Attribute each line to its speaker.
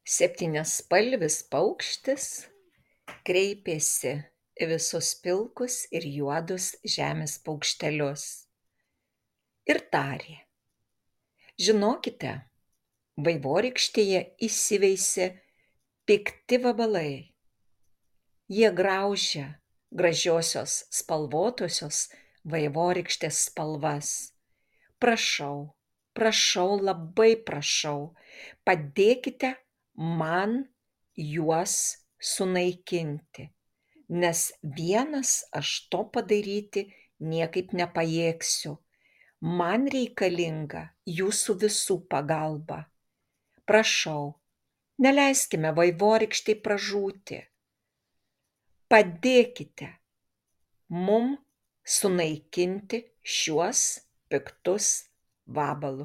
Speaker 1: Septyniaspalvis paukštis kreipėsi į visus pilkus ir juodus žemės paukštelius ir tarė: žinokite, vaivorykštėje įsiveisė pikti vabalai. Jie graužia gražiosios spalvotosios vaivorykštės spalvas. Prašau, prašau, labai prašau, padėkite man juos sunaikinti, nes vienas aš to padaryti niekaip nepajėgsiu. Man reikalinga jūsų visų pagalba. Prašau, neleiskime vaivorykštei pražūti. Padėkite mum sunaikinti šiuos piktus vabalus.